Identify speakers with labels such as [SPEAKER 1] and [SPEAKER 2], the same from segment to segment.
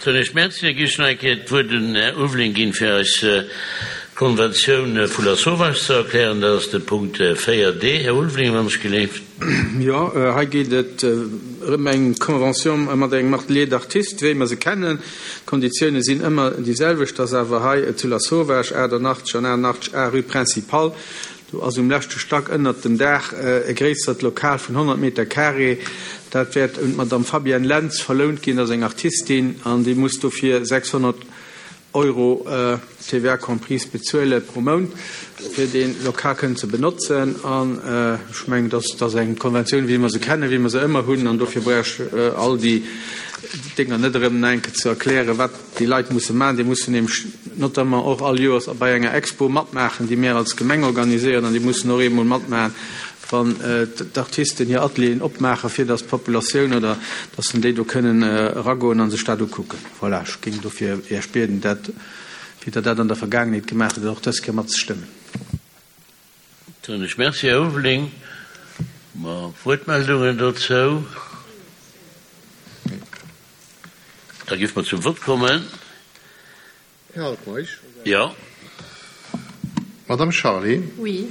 [SPEAKER 1] Soen ech Merci. Da géif ech nach eng Kéier d'Wuert un den Här Ulveling ginn, fir eis d'Konventioun vu Lasauvage ze erklären. Dat ass de Punkt 4d. Här Ulveling, wann ech geleeft.
[SPEAKER 2] Jo, hei geet et erëm eng Convention mat engem Atelier d'artistes, wéi mer se kennen. D'Konditioune sinn ëmmer déi selwecht. Ass awer hei zu Lasauvage, 88 an 88 A, rue Principale. Do ass um leschte Stack ënnert dem Daach e gréissert Lokal vun 100 Meter carré. Dat wäert un d'Madame Fabienne Lentz verlount ginn, dat ass eng Artistin, an déi muss dofir 600 Euro, TVA comprise, bezuele pro Mount, fir dee Lokal kënnen ze benotzen. An ech mengen, dat ass eng Konventioun, wéi mer se kennen, wéi mer se ëmmer hunn, an dofir brauch ech all déi Dénger net erëm nach eng Kéier ze erklären, wat déi Leit musse maachen. Déi mussen nämlech notamment och all Joers bei enger Expo matmaachen, déi mir als Gemeng organiséieren, an déi mussen och eemol matmaachen, wann d'Artisten hir Atelieren opmaachen, fir datt d'Populatioun oder datt en déi do kënnen eragoen a sech dat ukucken. Voilà, ech géing dofir Iech bieden, dat, wéi Der dat an der Vergaangenheet gemaach hutt, och dës Kéier matzestëmmen.
[SPEAKER 1] Soen ech Merci, Här Ulveling. Mer Wuertmeldungen dozou? Da géife mer zum Vott kommen.
[SPEAKER 3] Här Altmeisch.
[SPEAKER 1] Jo.
[SPEAKER 3] Madame Charlé.
[SPEAKER 4] Oui.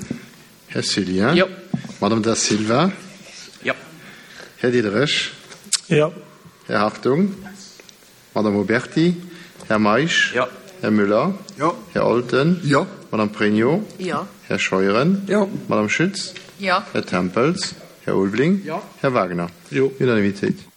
[SPEAKER 3] Här Cillien.
[SPEAKER 5] Jo.
[SPEAKER 3] Madame Da Silva.
[SPEAKER 5] Jo.
[SPEAKER 3] Här Diderich.
[SPEAKER 6] Jo.
[SPEAKER 3] Här Hartung. Madame Oberti. Här Meisch.
[SPEAKER 5] Jo.
[SPEAKER 3] Här Müller.
[SPEAKER 6] Jo.
[SPEAKER 3] Här Olten.
[SPEAKER 6] Jo.
[SPEAKER 3] Madame Pregno.
[SPEAKER 4] Jo.
[SPEAKER 3] Här Scheuren.
[SPEAKER 6] Jo.
[SPEAKER 3] Madame Schütz.
[SPEAKER 4] Jo.
[SPEAKER 3] Här Tempels. Här Ulveling.
[SPEAKER 6] Jo.
[SPEAKER 3] Här Wagner.
[SPEAKER 6] Jo.
[SPEAKER 3] Unanimitéit.